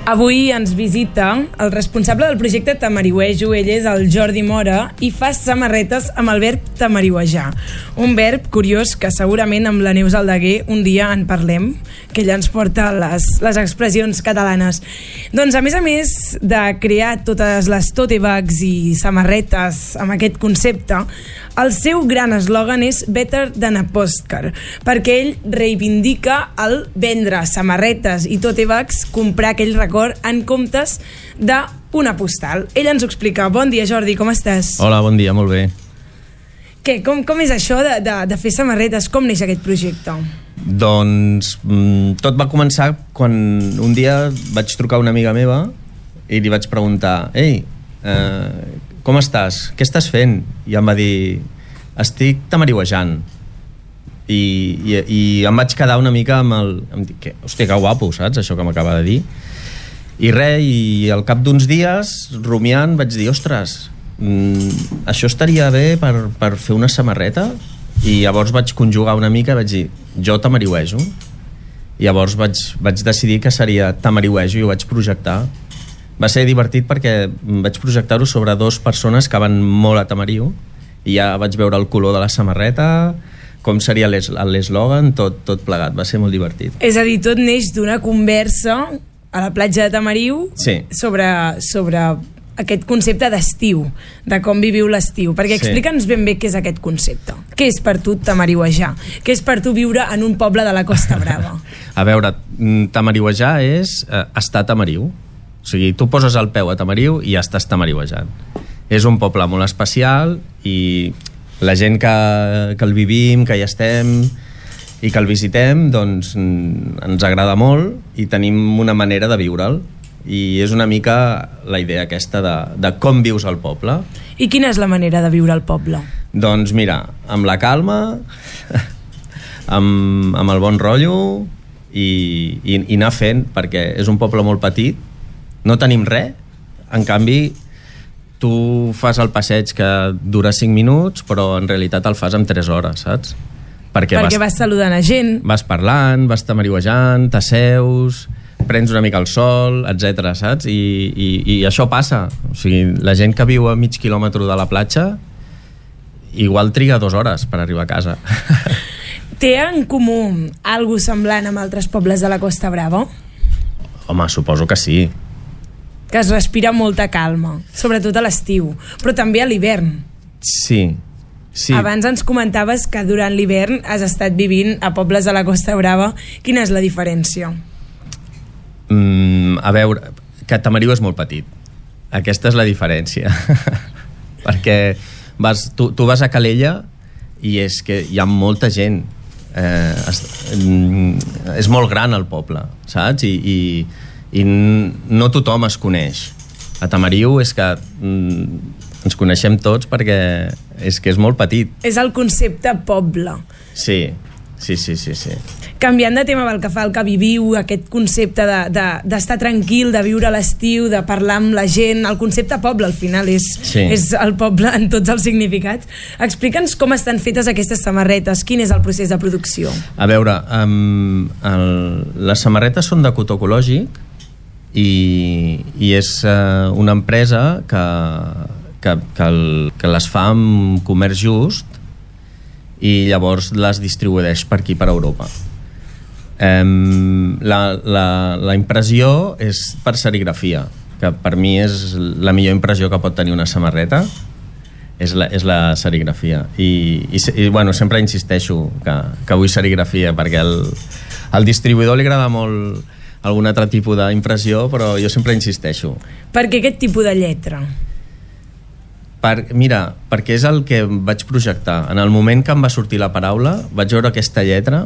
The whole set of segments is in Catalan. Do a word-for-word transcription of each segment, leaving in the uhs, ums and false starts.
Avui ens visita el responsable del projecte Tamariuejo. Ell és el Jordi Mora i fa samarretes amb el verb tamariuejar. Un verb curiós que segurament amb la Neus Aldeguer un dia en parlem, que ella ens porta les, les expressions catalanes. Doncs a més a més de crear totes les tote bags i samarretes amb aquest concepte, el seu gran eslògan és Better than a postcard, perquè ell reivindica el vendre samarretes i tote bags, comprar aquell record en comptes d'una postal. Ell ens ho explica. Bon dia, Jordi, com estàs? Hola, bon dia, molt bé. Què, com, com és això de, de, de fer samarretes? Com neix aquest projecte? Doncs mm, tot va començar quan un dia vaig trucar a una amiga meva i li vaig preguntar: Ei, eh, com estàs? Què estàs fent? I em va dir: estic tamariuejant. I, i, i em vaig quedar una mica amb el... Em dic, que, hòstia, que guapo, saps? Això que m'acaba de dir. I res, i al cap d'uns dies, rumiant, vaig dir: ostres, mm, això estaria bé per, per fer una samarreta? I llavors vaig conjugar una mica i vaig dir: jo tamariuejo. I llavors vaig, vaig decidir que seria tamariuejo i ho vaig projectar. Va ser divertit perquè vaig projectar-ho sobre dues persones que van molt a Tamariu i ja vaig veure el color de la samarreta, com seria l'eslògan, tot, tot plegat. Va ser molt divertit. És a dir, tot neix d'una conversa a la platja de Tamariu, sí, sobre, sobre aquest concepte d'estiu, de com viviu l'estiu. Perquè explica'ns ben bé què és aquest concepte. Què és per tu tamariuejar? Què és per tu viure en un poble de la Costa Brava? A veure, tamariuejar és eh, estar a Tamariu. O sigui, tu poses el peu a Tamariu i ja estàs tamariuejant. És un poble molt especial i la gent que, que el vivim, que hi estem i que el visitem, doncs ens agrada molt i tenim una manera de viure'l. I és una mica la idea aquesta de, de com vius al poble. I quina és la manera de viure al poble? Doncs mira, amb la calma, amb, amb el bon rotllo i, i, i anar fent, perquè és un poble molt petit. No tenim res, en canvi tu fas el passeig que dura cinc minuts, però en realitat el fas en tres hores, saps? Perquè, perquè vas, vas saludant a gent. Vas parlant, vas tamariuejant, t'asseus, prens una mica el sol, etcètera, saps? I, i, i això passa. O sigui, la gent que viu a mig quilòmetre de la platja igual triga dues hores per arribar a casa. Té en comú algo semblant amb altres pobles de la Costa Brava? Home, suposo que sí. Que es respira molta calma, sobretot a l'estiu, però també a l'hivern. Sí, sí. Abans ens comentaves que durant l'hivern has estat vivint a pobles de la Costa Brava. Quina és la diferència? Mm, a veure, que Tamariu és molt petit. Aquesta és la diferència. Perquè vas, tu, tu vas a Calella i és que hi ha molta gent. Eh, es, mm, és molt gran el poble, saps? I... i i no tothom es coneix. A Tamariu és que mm, ens coneixem tots perquè és que és molt petit. És el concepte poble. Sí, sí, sí, sí, sí. Canviant de tema pel que fa al que viviu, aquest concepte de, de, d'estar tranquil, de viure a l'estiu, de parlar amb la gent, el concepte poble al final és, sí, és el poble en tots els significats. Explica'ns com estan fetes aquestes samarretes, quin és el procés de producció. A veure, um, el, les samarretes són de cotó ecològic i, i és uh, una empresa que, que, que, el, que les fa amb comerç just i llavors les distribueix per aquí, per Europa. Um, la, la, la impressió és per serigrafia, que per mi és la millor impressió que pot tenir una samarreta, és la, és la serigrafia. I, i, i bueno, sempre insisteixo que, que vull serigrafia, perquè el, al distribuïdor li agrada molt algun altre tipus d'impressió, però jo sempre insisteixo. Per què aquest tipus de lletra? Per, mira, perquè és el que vaig projectar. En el moment que em va sortir la paraula, vaig veure aquesta lletra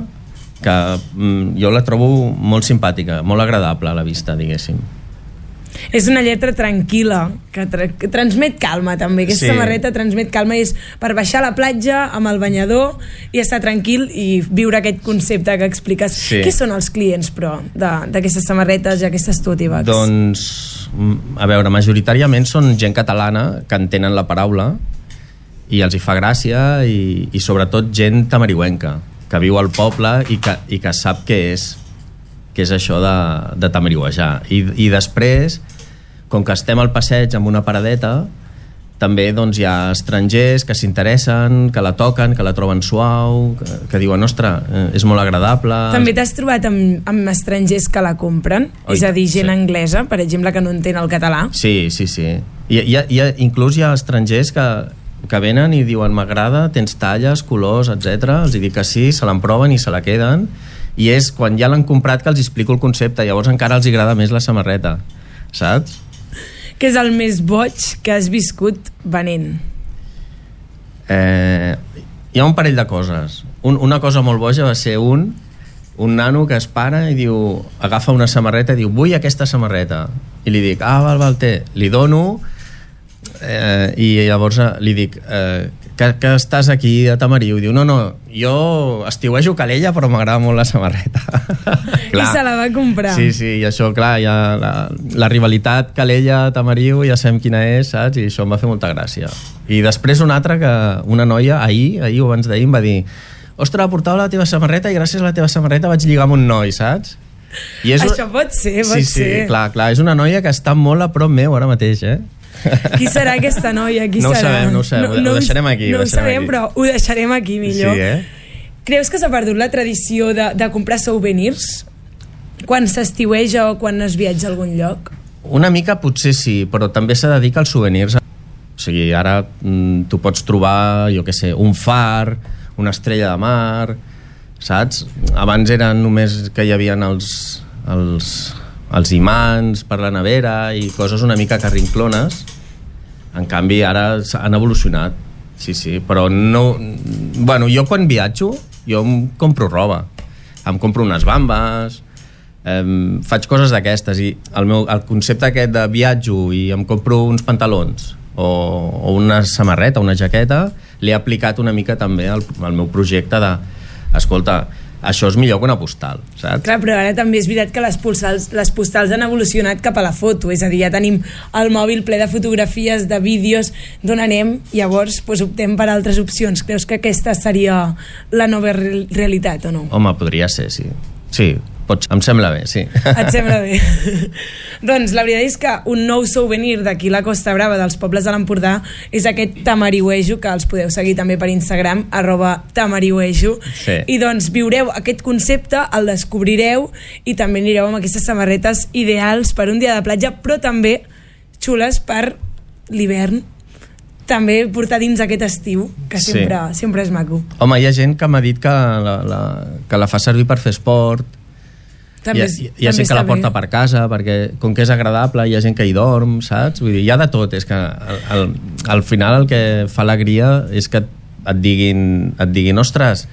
que mm, jo la trobo molt simpàtica, molt agradable a la vista, diguéssim. És una lletra tranquil·la, que, tra que transmet calma també. Aquesta sí, samarreta transmet calma i és per baixar a la platja amb el banyador i estar tranquil i viure aquest concepte que expliques. Sí. Què són els clients, però, d'aquestes samarretes i aquestes tote bags? Doncs, a veure, majoritàriament són gent catalana que entenen la paraula i els hi fa gràcia i, i sobretot gent tamariuenca que viu al poble i que, i que sap què és. que és això de, de tamariuejar. I, I després, com que estem al passeig amb una paradeta, també doncs, hi ha estrangers que s'interessen, que la toquen, que la troben suau, que, que diuen, ostres, és molt agradable. També t'has trobat amb, amb estrangers que la compren? Oi, és a dir, gent sí. anglesa, per exemple, que no entén el català? Sí, sí, sí. I, hi ha, hi ha, inclús hi ha estrangers que, que venen i diuen, m'agrada, tens talles, colors, etcètera. Els dic que sí, se l'emproven i se la queden. I és quan ja l'han comprat que els explico el concepte. Llavors encara els agrada més la samarreta, saps? Què és el més boig que has viscut venent? Eh, hi ha un parell de coses. Un, una cosa molt boja va ser un, un nano que es para i diu, agafa una samarreta i diu, vull aquesta samarreta. I li dic, ah, val, val, té. Li dono eh, i llavors li dic, eh, que, que estàs aquí a Tamariu? I diu, no, no, jo estiuejo Calella però m'agrada molt la samarreta. I se la va comprar. Sí, sí, i això, clar, ja la, la rivalitat Calella-Tamariu ja sabem quina és, saps? I això em va fer molta gràcia. I després una altra, que una noia, ahir, ahir o abans d'ahir, em va dir, ostres, portava la teva samarreta i gràcies a la teva samarreta vaig lligar amb un noi, saps? I és... Això pot ser, pot sí, ser. Sí, clar, clar, és una noia que està molt a prop meu ara mateix, eh? Qui serà aquesta noia? Qui no serà? ho sabem, no ho sabem, no, no ho deixarem aquí. No ho, ho sabem, aquí. Però ho deixarem aquí millor. Sí, eh? Creus que s'ha perdut la tradició de, de comprar souvenirs quan s'estiueja o quan es viatja a algun lloc? Una mica potser sí, però també s'ha de dir que els souvenirs... O sigui, ara mm, tu pots trobar, jo què sé, un far, una estrella de mar, saps? Abans eren només que hi havia els, els, els imants per la nevera i coses una mica carrinclones. En canvi ara han evolucionat, sí, sí, però no... Bueno, jo quan viatjo jo em compro roba, em compro unes bambes, eh, faig coses d'aquestes, i el, meu, el concepte aquest de viatjo i em compro uns pantalons o, o una samarreta, una jaqueta, l'he aplicat una mica també al, al meu projecte de, escolta, això és millor que una postal, saps? Clar, però ara també és veritat que les postals, les postals han evolucionat cap a la foto, és a dir, ja tenim el mòbil ple de fotografies, de vídeos d'on anem, llavors doncs, optem per altres opcions. Creus que aquesta seria la nova re realitat o no? Home, podria ser, sí. Sí, pots, em sembla bé, sí. Et sembla bé? Doncs la veritat és que un nou souvenir d'aquí la Costa Brava, dels pobles de l'Empordà, és aquest tamariuejo, que els podeu seguir també per Instagram, arroba tamariuejo. Sí. I doncs viureu aquest concepte, el descobrireu i també anireu amb aquestes samarretes ideals per un dia de platja, però també xules per l'hivern, també portar dins aquest estiu, que sempre, sí. sempre és maco. Home, hi ha gent que m'ha dit que la, la, que la fa servir per fer esport. També, hi ha, hi ha gent que la porta bé. per casa, perquè com que és agradable hi ha gent que hi dorm, saps? Vull dir, hi ha de tot. És que al, al, al final el que fa alegria és que et diguin, et diguin ostres,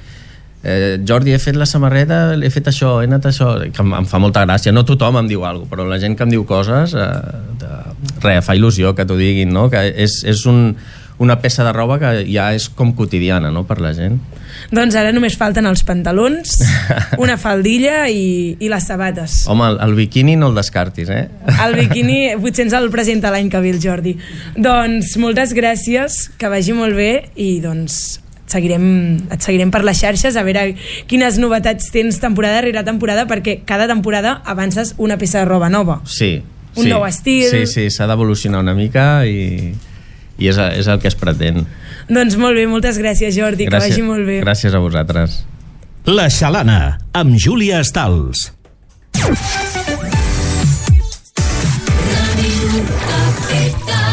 eh, Jordi, he fet la samarreta, he fet això, he anat això, que em, em fa molta gràcia. No tothom em diu alguna cosa, però la gent que em diu coses, eh, de, res, fa il·lusió que t'ho diguin, no? Que és, és un, una peça de roba que ja és com quotidiana, no?, per la gent. Doncs ara només falten els pantalons, una faldilla i, i les sabates. Home, el, el biquini no el descartis, eh? El biquini potser ens el presenta l'any que ve el Jordi. Doncs moltes gràcies, que vagi molt bé i doncs et seguirem, et seguirem per les xarxes a veure quines novetats tens temporada rere temporada, perquè cada temporada avances una peça de roba nova. Sí. Un sí, nou estil. Sí, sí, s'ha d'evolucionar una mica i, i és, és el que es pretén. Doncs molt bé, moltes gràcies, Jordi, gràcies, que vagi molt bé. Gràcies a vosaltres. La Xalana, amb Júlia Estals. Radio Capital.